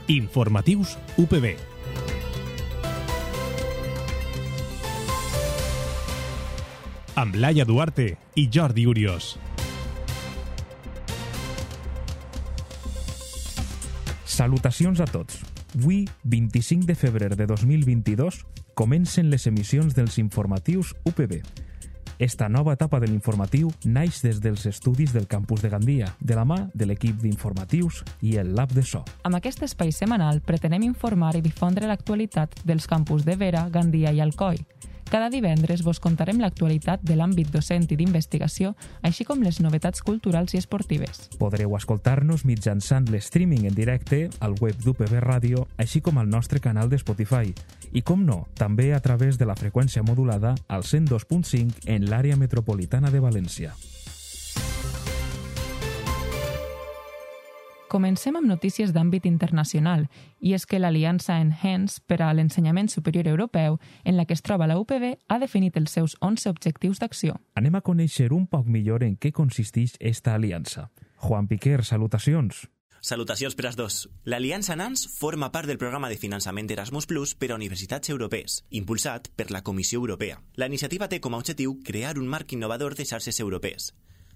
Informatius UPB. Amb Laia Duarte i Jordi Uriós. Salutacions a tots. Avui, 25 de febrer de 2022, comencen les emissions dels informatius UPB. Esta nova etapa de l'informatiu naix des dels estudis del campus de Gandia, de la mà de l'equip d'informatius i el Lab de So. Amb aquest espai setmanal pretenem informar i difondre l'actualitat dels campus de Vera, Gandia i Alcoi. Cada divendres vos contarem l'actualitat de l'àmbit docent i d'investigació, així com les novetats culturals i esportives. Podreu escoltar-nos mitjançant l'streaming en directe al web d'UPB Ràdio, així com al nostre canal de Spotify. I, com no, també a través de la freqüència modulada al 102.5 en l'àrea metropolitana de València. Comencem amb notícies d'àmbit internacional, i és que l'Aliança Enhance per a l'Ensenyament Superior Europeu, en la que es troba la UPB, ha definit els seus 11 objectius d'acció. Anem a conèixer un poc millor en què consisteix esta aliança. Juan Piquer, salutacions. Salutacions per als dos. L'Aliança NANS forma part del programa de finançament Erasmus Plus per a universitats europees, impulsat per la Comissió Europea. La iniciativa té com a objectiu crear un marc innovador de xarxes europees.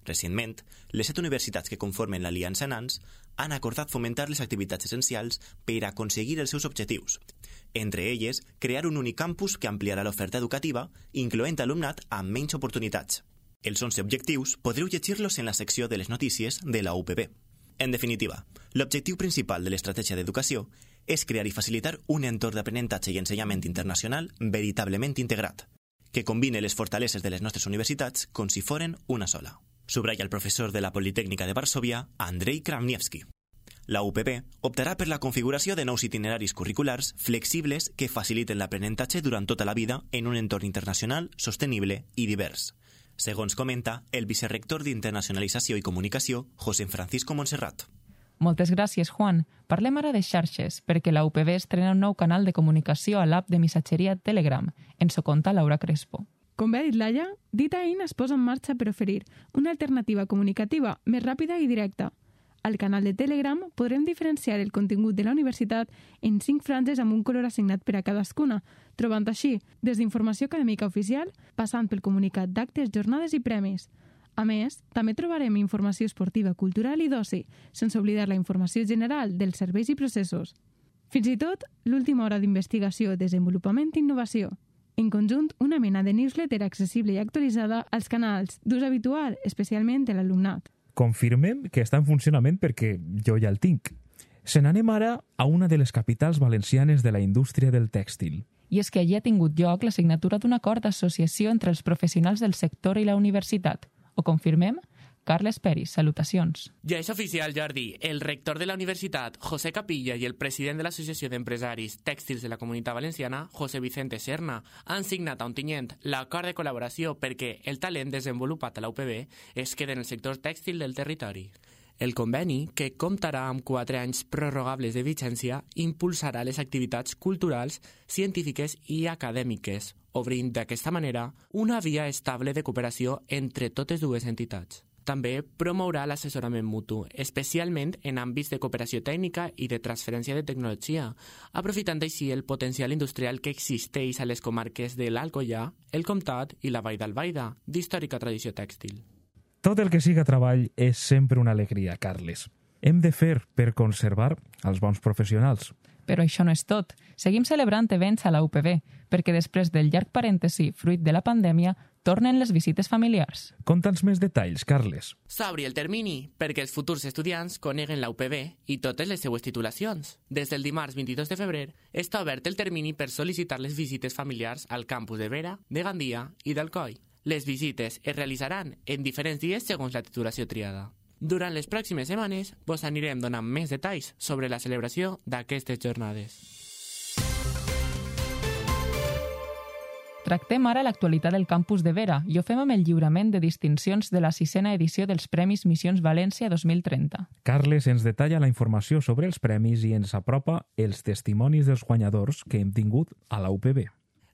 Recentment, les 7 universitats que conformen l'Aliança NANS han acordat fomentar les activitats essencials per aconseguir els seus objectius. Entre elles, crear un únic campus que ampliarà l'oferta educativa, incloent alumnat amb menys oportunitats. Els 11 objectius podreu llegir-los en la secció de les notícies de la UPB. En definitiva, l'objectiu principal de l'estratègia d'educació és crear i facilitar un entorn d'aprenentatge i ensenyament internacional veritablement integrat, que combine les fortaleses de les nostres universitats com si foren una sola. Subratlla el professor de la Politècnica de Varsòvia, Andrei Kramniewski. La UPB optarà per la configuració de nous itineraris curriculars flexibles que faciliten l'aprenentatge durant tota la vida en un entorn internacional, sostenible i divers, segons comenta el vicerrector d'Internacionalització i Comunicació, José Francisco Montserrat. Moltes gràcies, Juan. Parlem ara de xarxes, perquè la UPB estrena un nou canal de comunicació a l'app de missatgeria Telegram. Ens ho conta Laura Crespo. Com bé ha dit Laia, DataIn es posa en marxa per oferir una alternativa comunicativa més ràpida i directa. Al canal de Telegram podrem diferenciar el contingut de la universitat en 5 franges amb un color assignat per a cadascuna, trobant així des d'informació acadèmica oficial, passant pel comunicat d'actes, jornades i premis. A més, també trobarem informació esportiva, cultural i d'oci, sense oblidar la informació general dels serveis i processos. Fins i tot, l'última hora d'investigació, desenvolupament i innovació. En conjunt, una mena de newsletter accessible i actualitzada als canals d'ús habitual, especialment de l'alumnat. Confirmem que està en funcionament perquè jo ja el tinc. Se n'anem ara a una de les capitals valencianes de la indústria del tèxtil. I és que allí ha tingut lloc la signatura d'un acord d'associació entre els professionals del sector i la universitat. Ho confirmem? Carles Peris, salutacions. Ja és oficial, Jordi. El rector de la universitat, José Capilla, i el president de l'Associació d'Empresaris Tèxtils de la Comunitat Valenciana, José Vicente Serna, han signat a Ontinyent l'acord de col·laboració perquè el talent desenvolupat a la UPB es quede en el sector tèxtil del territori. El conveni, que comptarà amb 4 anys prorrogables de vigència, impulsarà les activitats culturals, científiques i acadèmiques, obrint d'aquesta manera una via estable de cooperació entre totes dues entitats. També promourà l'assessorament mutu, especialment en àmbits de cooperació tècnica i de transferència de tecnologia, aprofitant així el potencial industrial que existeix a les comarques de l'Alcoià, el Comtat i la Vall d'Albaida, d'històrica tradició tèxtil. Tot el que siga treball és sempre una alegria, Carles. Hem de fer per conservar els bons professionals. Però això no és tot. Seguim celebrant events a la UPB, perquè després del llarg parèntesi fruit de la pandèmia, tornen les visites familiars. Conta'ns més detalls, Carles. S'obri el termini perquè els futurs estudiants coneguen la UPB i totes les seues titulacions. Des del dimarts 22 de febrer està obert el termini per sol·licitar les visites familiars al campus de Vera, de Gandia i d'Alcoi. Les visites es realitzaran en diferents dies segons la titulació triada. Durant les pròximes setmanes vos anirem donant més detalls sobre la celebració d'aquestes jornades. Tractem ara l'actualitat del campus de Vera i ho fem amb el lliurament de distincions de la 6a edició dels Premis Missions València 2030. Carles ens detalla la informació sobre els premis i ens apropa els testimonis dels guanyadors que hem tingut a la UPB.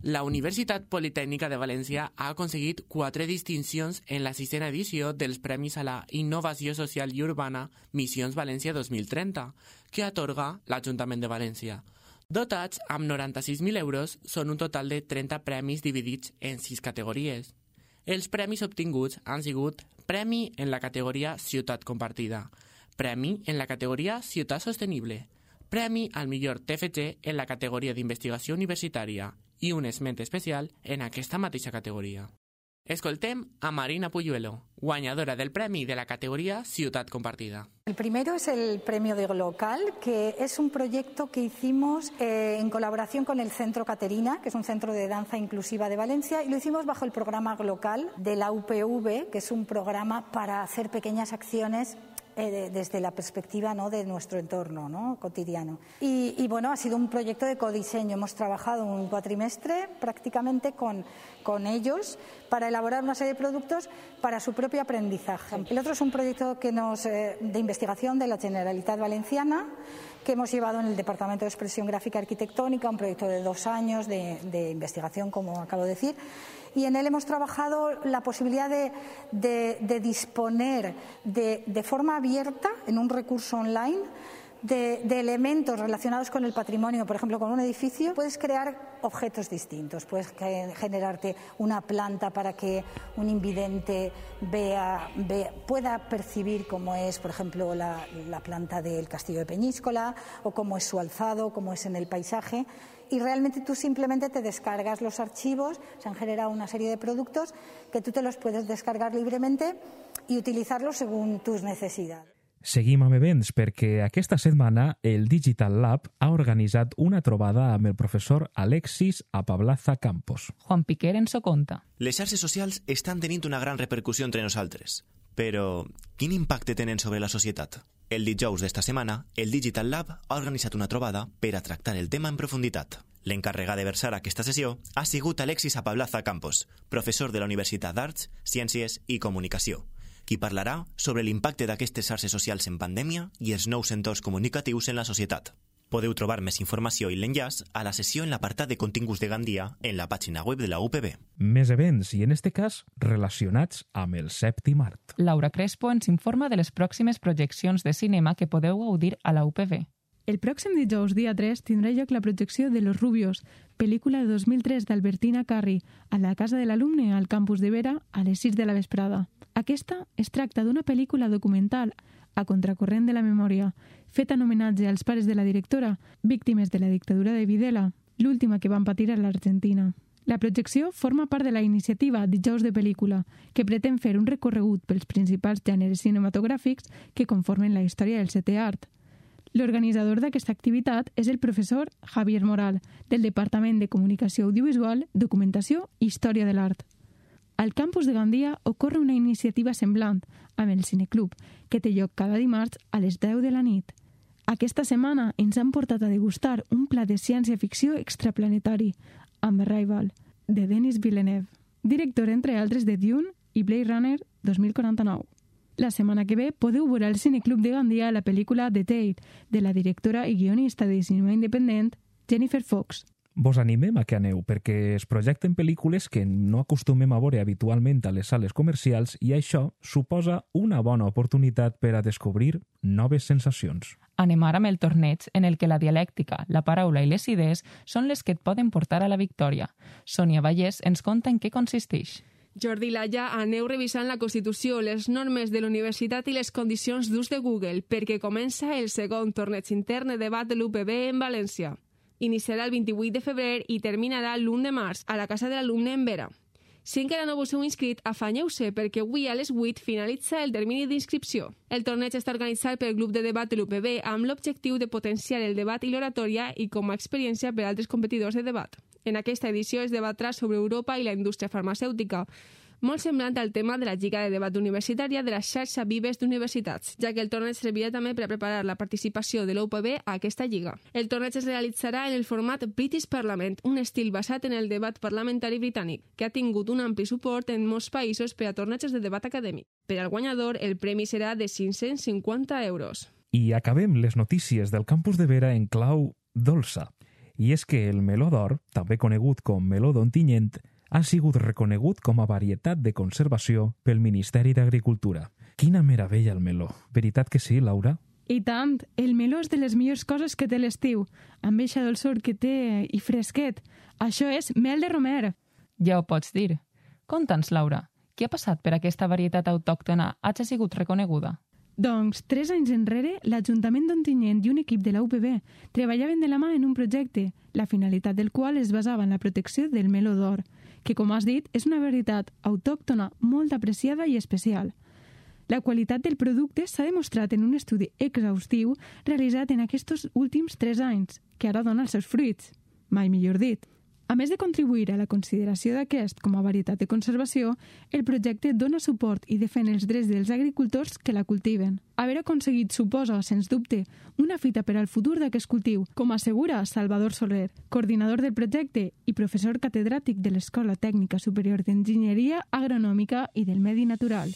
La Universitat Politècnica de València ha aconseguit 4 distincions en la 6a edició dels Premis a la Innovació Social i Urbana Missions València 2030, que atorga l'Ajuntament de València. Dotats amb 96.000 euros, són un total de 30 premis dividits en 6 categories. Els premis obtinguts han sigut Premi en la categoria Ciutat Compartida, Premi en la categoria Ciutat Sostenible, Premi al millor TFG en la categoria d'Investigació Universitària i un esment especial en aquesta mateixa categoria. Escoltem a Marina Puyuelo, guanyadora del premi de la categoría Ciutat Compartida. El primero es el premio de Glocal, que es un proyecto que hicimos en colaboración con el Centro Caterina, que es un centro de danza inclusiva de Valencia, y lo hicimos bajo el programa Glocal de la UPV, que es un programa para hacer pequeñas acciones desde la perspectiva, ¿no?, de nuestro entorno, ¿no?, cotidiano. Y bueno, ha sido un proyecto de codiseño. Hemos trabajado un cuatrimestre prácticamente con ellos para elaborar una serie de productos para su propio aprendizaje. El otro es un proyecto de investigación de la Generalitat Valenciana, que hemos llevado en el Departamento de Expresión Gráfica Arquitectónica, un proyecto de 2 años de investigación, como acabo de decir, y en él hemos trabajado la posibilidad de disponer de forma abierta, en un recurso online, de elementos relacionados con el patrimonio. Por ejemplo, con un edificio puedes crear objetos distintos, puedes generarte una planta para que un invidente pueda percibir cómo es, por ejemplo, la planta del Castillo de Peñíscola, o cómo es su alzado, cómo es en el paisaje, y realmente tú simplemente te descargas los archivos. Se han generado una serie de productos que tú te los puedes descargar libremente y utilizarlos según tus necesidades. Seguim amb events perquè aquesta setmana el Digital Lab ha organitzat una trobada amb el professor Alexis Apablaza Campos. Juan Piquer ens ho conta. Les xarxes socials estan tenint una gran repercussió entre nosaltres, però quin impacte tenen sobre la societat? El dijous d'esta setmana, el Digital Lab ha organitzat una trobada per a tractar el tema en profunditat. L'encarregat de versar aquesta sessió ha sigut Alexis Apablaza Campos, professor de la Universitat d'Arts, Ciències i Comunicació, qui parlarà sobre l'impacte d'aquestes xarxes socials en pandèmia i els nous entorns comunicatius en la societat. Podeu trobar més informació i l'enllaç a la sessió en l'apartat de continguts de Gandia en la pàgina web de la UPB. Més events, i en este cas, relacionats amb el 7è art. Laura Crespo ens informa de les pròximes projeccions de cinema que podeu gaudir a la UPB. El pròxim dijous, dia 3, tindrà lloc la projecció de Los Rubios, pel·lícula de 2003 d'Albertina Carri, a la Casa de l'Alumne, al campus de Vera, a les 6 de la vesprada. Aquesta es tracta d'una pel·lícula documental a contracorrent de la memòria, feta en homenatge als pares de la directora, víctimes de la dictadura de Videla, l'última que van patir a l'Argentina. La projecció forma part de la iniciativa Dijous de Pel·lícula, que pretén fer un recorregut pels principals gèneres cinematogràfics que conformen la història del 7è art. L'organitzador d'aquesta activitat és el professor Javier Moral, del Departament de Comunicació Audiovisual, Documentació i Història de l'Art. Al campus de Gandia ocorre una iniciativa semblant, amb el Cineclub, que té lloc cada dimarts a les 10 de la nit. Aquesta setmana ens han portat a degustar un plat de ciència-ficció extraplanetari, amb Arrival, de Denis Villeneuve, director, entre altres, de Dune i Blade Runner 2049. La setmana que ve podeu veure al Cineclub de Gandia la pel·lícula The Tale, de la directora i guionista de cinema independent Jennifer Fox. Vos animem a que aneu, perquè es projecten pel·lícules que no acostumem a veure habitualment a les sales comercials i això suposa una bona oportunitat per a descobrir noves sensacions. Anem ara amb el torneig en el que la dialèctica, la paraula i les idees són les que et poden portar a la victòria. Sònia Vallès ens conta en què consisteix. Jordi Laia, aneu revisant la Constitució, les normes de la universitat i les condicions d'ús de Google, perquè comença el segon torneig intern de debat de l'UPB en València. Iniciarà el 28 de febrer i terminarà l'1 de març a la Casa de l'Alumne en Vera. Si encara no vos heu inscrit, afanyeu-se perquè avui a les 8 finalitza el termini d'inscripció. El torneig està organitzat pel grup de debat de l'UPB amb l'objectiu de potenciar el debat i l'oratòria i com a experiència per a altres competidors de debat. En aquesta edició es debatrà sobre Europa i la indústria farmacèutica, molt semblant al tema de la Lliga de Debat Universitària de la xarxa Vives d'Universitats, ja que el torneig servirà també per a preparar la participació de l'UPB a aquesta lliga. El torneig es realitzarà en el format British Parliament, un estil basat en el debat parlamentari britànic, que ha tingut un ampli suport en molts països per a torneigs de debat acadèmic. Per al guanyador, el premi serà de 550 euros. I acabem les notícies del campus de Vera en clau dolça. I és que el meló d'or, també conegut com meló d'Ontinyent, ha sigut reconegut com a varietat de conservació pel Ministeri d'Agricultura. Quina meravella el meló. Veritat que sí, Laura? I tant, el meló és de les millors coses que té l'estiu, amb eixa dolçor que té i fresquet. Això és mel de romer. Ja ho pots dir. Conta'ns, Laura, què ha passat per aquesta varietat autòctona hagi sigut reconeguda? Doncs, 3 anys enrere, l'Ajuntament d'Ontinyent i un equip de la UPB treballaven de la mà en un projecte, la finalitat del qual es basava en la protecció del meló d'or, que, com has dit, és una varietat autòctona molt apreciada i especial. La qualitat del producte s'ha demostrat en un estudi exhaustiu realitzat en aquests últims 3 anys, que ara dona els seus fruits, mai millor dit. A més de contribuir a la consideració d'aquest com a varietat de conservació, el projecte dona suport i defèn els drets dels agricultors que la cultiven. Haver aconseguit suposa, sens dubte, una fita per al futur d'aquest cultiu, com assegura Salvador Soler, coordinador del projecte i professor catedràtic de l'Escola Tècnica Superior d'Enginyeria Agronòmica i del Medi Natural.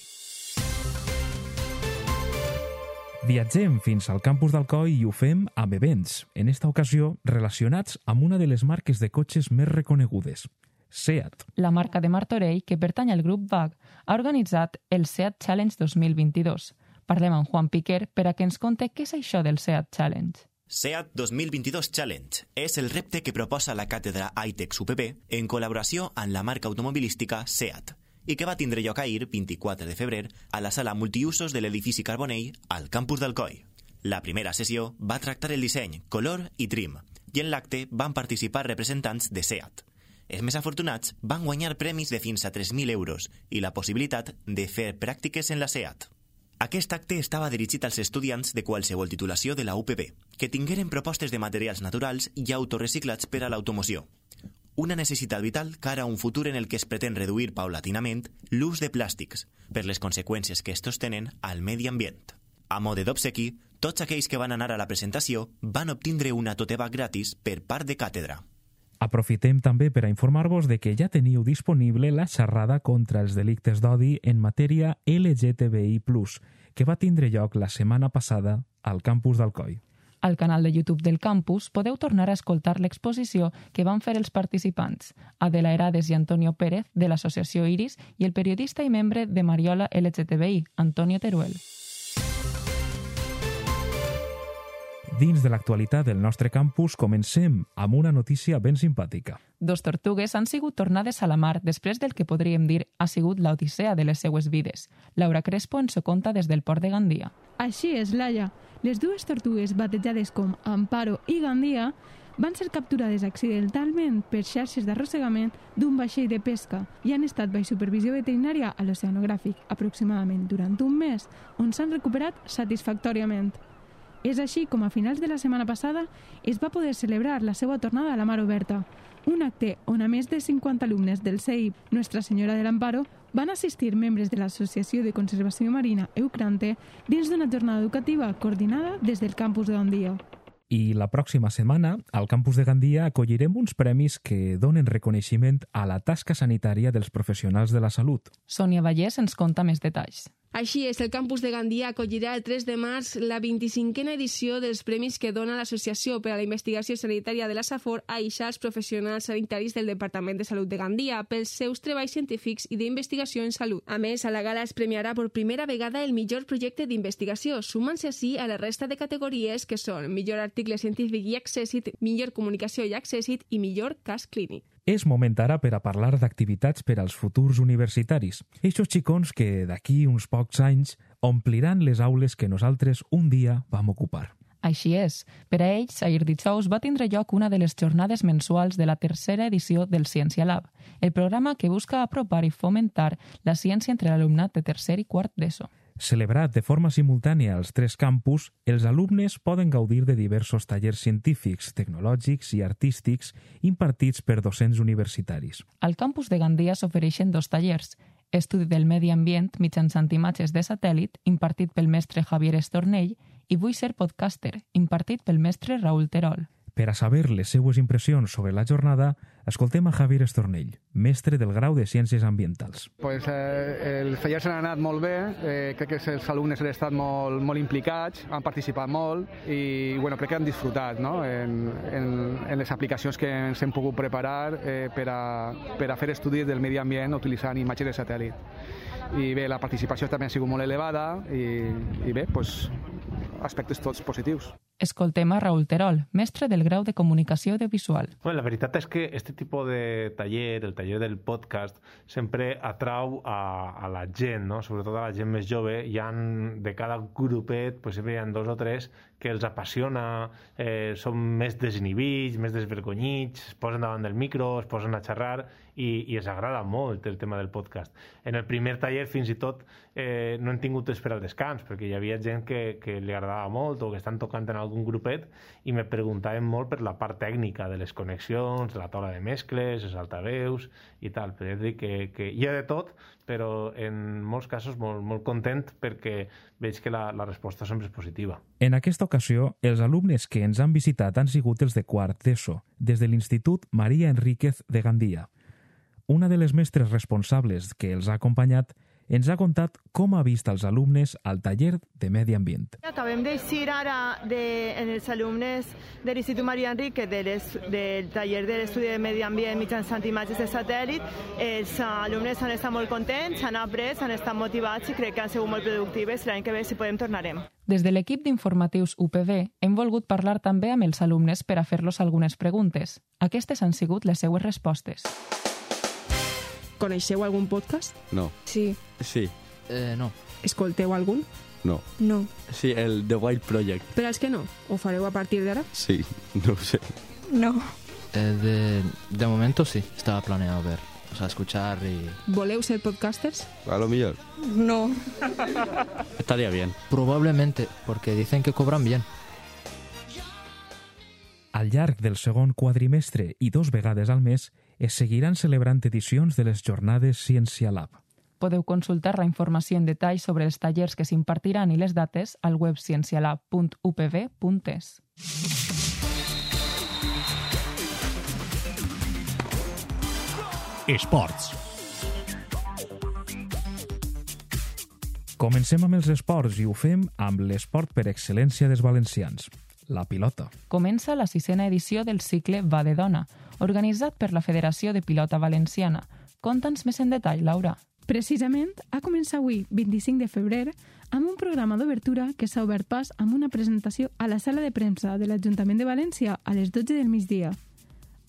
Viatgem fins al campus d'Alcoi i ho fem amb events, en esta ocasió relacionats amb una de les marques de cotxes més reconegudes, SEAT. La marca de Martorell, que pertany al grup VAG, ha organitzat el SEAT Challenge 2022. Parlem amb Juan Piquer per a que ens conte què és això del SEAT Challenge. SEAT 2022 Challenge és el repte que proposa la càtedra ITEX UPB en col·laboració amb la marca automobilística SEAT i que va tindre lloc ahir, 24 de febrer, a la sala multiusos de l'edifici Carbonell al campus d'Alcoi. La primera sessió va tractar el disseny, color i trim, i en l'acte van participar representants de SEAT. Els més afortunats van guanyar premis de fins a 3.000 euros i la possibilitat de fer pràctiques en la SEAT. Aquest acte estava dirigit als estudiants de qualsevol titulació de la UPB, que tingueren propostes de materials naturals i autoreciclats per a l'automoció. Una necessitat vital cara a un futur en el que es pretén reduir paulatinament l'ús de plàstics per les conseqüències que estos tenen al medi ambient. A mode d'obsequi, tots aquells que van anar a la presentació van obtindre una tote bag gratis per part de càtedra. Aprofitem també per a informar-vos de que ja teniu disponible la xerrada contra els delictes d'odi en matèria LGTBI+, que va tindre lloc la setmana passada al campus d'Alcoi. Al canal de YouTube del campus podeu tornar a escoltar l'exposició que van fer els participants, Adela Herades i Antonio Pérez, de l'associació Iris, i el periodista i membre de Mariola LGTBI, Antonio Teruel. Dins de l'actualitat del nostre campus, comencem amb una notícia ben simpàtica. 2 tortugues han sigut tornades a la mar després del que podríem dir ha sigut l'odissea de les seues vides. Laura Crespo ens ho conta des del port de Gandia. Així és, Laia. Les 2 tortugues batejades com Amparo i Gandia van ser capturades accidentalment per xarxes d'arrossegament d'un vaixell de pesca i han estat baix supervisió veterinària a l'Oceanogràfic aproximadament durant un mes, on s'han recuperat satisfactòriament. És així com a finals de la setmana passada es va poder celebrar la seva tornada a la mar oberta, un acte on a més de 50 alumnes del CEIP Nuestra Senyora de l'Amparo van assistir membres de l'Associació de Conservació Marina Eucrante dins d'una jornada educativa coordinada des del campus de Gandia. I la pròxima setmana, al campus de Gandia, acollirem uns premis que donen reconeixement a la tasca sanitària dels professionals de la salut. Sònia Vallès ens conta més detalls. Així és, el campus de Gandia acollirà el 3 de març la 25a edició dels premis que dona l'Associació per a la Investigació Sanitària de la Safor a als professionals sanitaris del Departament de Salut de Gandia pels seus treballs científics i d'investigació en salut. A més, a la gala es premiarà per primera vegada el millor projecte d'investigació, sumant-se així a la resta de categories que són millor article científic i accèssit, millor comunicació i accèssit i millor cas clínic. És moment ara per a parlar d'activitats per als futurs universitaris. Eixos xicons que d'aquí uns pocs anys ompliran les aules que nosaltres un dia vam ocupar. Així és. Per a ells, ahir dijous va tindre lloc una de les jornades mensuals de la 3a edició del Ciència Lab, el programa que busca apropar i fomentar la ciència entre l'alumnat de 3è i 4è d'ESO. Celebrat de forma simultània als 3 campus, els alumnes poden gaudir de diversos tallers científics, tecnològics i artístics impartits per docents universitaris. Al campus de Gandia s'ofereixen 2 tallers, Estudi del Medi Ambient mitjançant imatges de satèl·lit, impartit pel mestre Javier Estornell, i Vull ser podcaster, impartit pel mestre Raül Terol. Per a saber les seues impressions sobre la jornada, escoltem a Javier Estornell, mestre del grau de Ciències Ambientals. Els tallers han anat molt bé, crec que els alumnes han estat molt implicats, han participat molt i crec que han disfrutat en les aplicacions que ens hem pogut preparar per a fer estudis del medi ambient utilitzant imatges de satèl·lit. I bé, la participació també ha sigut molt elevada i bé, aspectes tots positius. Escoltem a Raúl Terol, mestre del grau de Comunicació Audiovisual. La veritat és que aquest tipus de taller, el taller del podcast, sempre atrau a la gent, no? Sobretot a la gent més jove. De cada grupet sempre hi ha 2 o 3 que els apassiona, són més desinhibits, més desvergonyits, es posen davant del micro, es posen a xerrar i els agrada molt el tema del podcast. En el primer taller fins i tot no hem tingut temps per al descans, perquè hi havia gent que li agradava molt o que estan tocant en algun grupet i me preguntaven molt per la part tècnica de les connexions, de la taula de mescles, els altaveus i tal. Però és a dir que hi ha de tot, però en molts casos molt content perquè veig que la resposta sempre és positiva. En aquesta ocasió, els alumnes que ens han visitat han sigut els de quart d'ESO, des de l'Institut María Enríquez de Gandia. Una de les mestres responsables que els ha acompanyat ens ha contat com ha vist els alumnes al taller de Medi Ambient. Acabem d'eixir ara en els alumnes de l'Institut Maria Enríquez del taller de l'estudi de Medi Ambient mitjançant imatges de satèl·lit. Els alumnes han estat molt contents, han après, han estat motivats i crec que han sigut molt productives. L'any que ve, si podem, tornarem. Des de l'equip d'informatius UPB hem volgut parlar també amb els alumnes per a fer-los algunes preguntes. Aquestes han sigut les seues respostes. Coneixeu algun podcast? No. Sí. Sí. No. Escolteu algun? No. No. Sí, el The Wild Project. Per als que no, ho fareu a partir d'ara? Sí, no ho sé. No. De momento sí, estaba planeado ver, escuchar y... ¿Voleu ser podcasters? A lo mejor. No. Estaría bien. Probablemente, porque dicen que cobran bien. Al llarg del segon quadrimestre i 2 vegades al mes es seguiran celebrant edicions de les jornades Ciència Lab. Podeu consultar la informació en detall sobre els tallers que s'impartiran i les dates al web ciencialab.upv.es. Esports. Comencem amb els esports i ho fem amb l'esport per excel·lència dels valencians, la pilota. Comença la 6a edició del cicle Va de Dona, organitzat per la Federació de Pilota Valenciana. Conta'ns més en detall, Laura. Precisament, ha començat avui, 25 de febrer, amb un programa d'obertura que s'ha obert pas amb una presentació a la sala de premsa de l'Ajuntament de València a les 12 del migdia.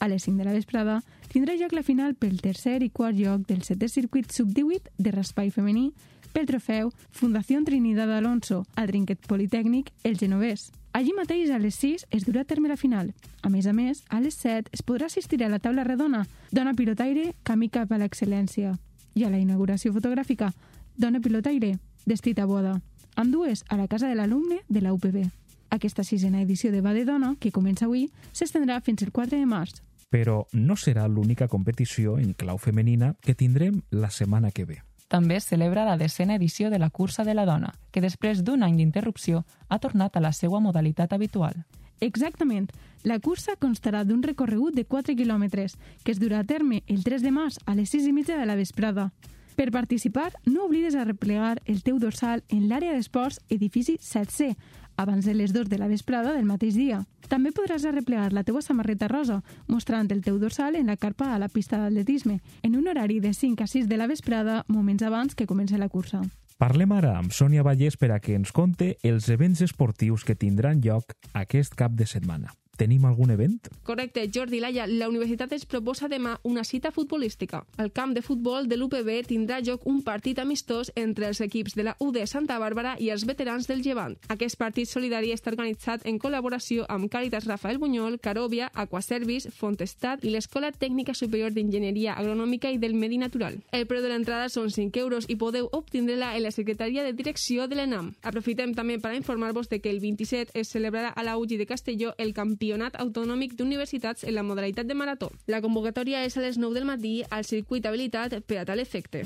A les 5 de la vesprada tindrà lloc la final pel tercer i quart lloc del 7è circuit sub-18 de raspall femení pel trofeu Fundació Trinidad Alonso al Trinquet Politècnic El Genovès. Allí mateix, a les 6, es durà a terme la final. A més, a les 7 es podrà assistir a la taula redona Dona Pilotaire, camí cap a l'excel·lència. I a la inauguració fotogràfica Dona Pilotaire, d'Estit a Boda. Ambdues a la casa de l'alumne de la UPB. Aquesta 6a edició de Va de Dona, que comença avui, s'estendrà fins el 4 de març. Però no serà l'única competició en clau femenina que tindrem la setmana que ve. També es celebra la 10a edició de la Cursa de la Dona, que després d'un any d'interrupció ha tornat a la seva modalitat habitual. Exactament. La cursa constarà d'un recorregut de 4 quilòmetres, que es durà a terme el 3 de març a les 6:30 de la vesprada. Per participar, no oblides a replegar el teu dorsal en l'àrea d'esports edifici 7C, abans de les 2 de la vesprada del mateix dia. També podràs arreplegar la teua samarreta rosa, mostrant el teu dorsal en la carpa a la pista d'atletisme, en un horari de 5 a 6 de la vesprada, moments abans que comenci la cursa. Parlem ara amb Sònia Vallès per a que ens conte els events esportius que tindran lloc aquest cap de setmana. Tenim algun event? Correcte, Jordi Laia. La universitat ens proposa demà una cita futbolística. Al camp de futbol de l'UPB tindrà lloc un partit amistós entre els equips de la UD Santa Bàrbara i els veterans del Llevant. Aquest partit solidari està organitzat en col·laboració amb Càritas Rafael Bunyol, Carovia, Aquaservice, Fontestat i l'Escola Tècnica Superior d'Enginyeria Agronòmica i del Medi Natural. El preu de l'entrada són 5 euros i podeu obtindre-la en la Secretaria de Direcció de l'ENAM. Aprofitem també per a informar-vos de que el 27 es celebrarà a la UGI de Castelló el Campionat Autonòmic d'Universitats en la modalitat de marató. La convocatòria és a les 9 del matí al circuit habilitat per a tal efecte.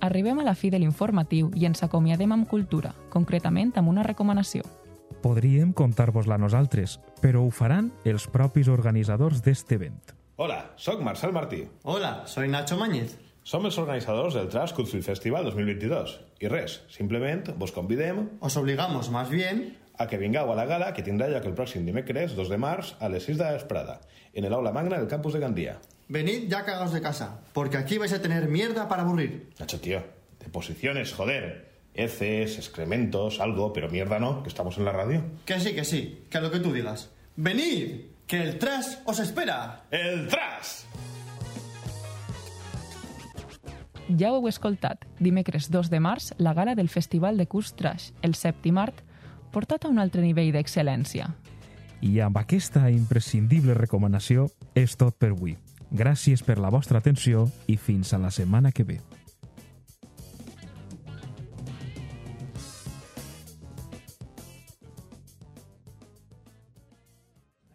Arribem a la fi de l'informatiu i ens acomiadem amb cultura, concretament amb una recomanació. Podríem contar-vos-la nosaltres, però ho faran els propis organitzadors d'este event. Hola, soc Marcel Martí. Hola, soy Nacho Mañez. Som els organitzadors del Trash Culture Festival 2022. I res, simplement vos convidem... Os obligamos, más bien... a que vingueu a la gala que tindrà lloc el pròxim dimecres 2 de març a les 6 de la vesprada, en el aula magna del campus de Gandia. Venid ya cagados de casa, porque aquí vais a tener mierda para aburrir. Nacho, tío, deposiciones, joder. Heces, excrementos, algo, pero mierda no, que estamos en la radio. Que sí, que lo que tú digas. ¡Venid! ¡Que el trash os espera! ¡El trash! Ja ho heu escoltat, dimecres 2 de març, la gala del Festival de Curs Trash, el 7º art, portat a un altre nivell d'excel·lència. I amb aquesta imprescindible recomanació és tot per avui. Gràcies per la vostra atenció i fins a la setmana que ve.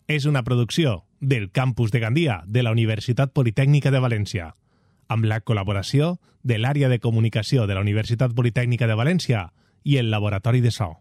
És una producció del Campus de Gandia de la Universitat Politècnica de València, amb la col·laboració de l'Àrea de Comunicació de la Universitat Politècnica de València i el Laboratori de So.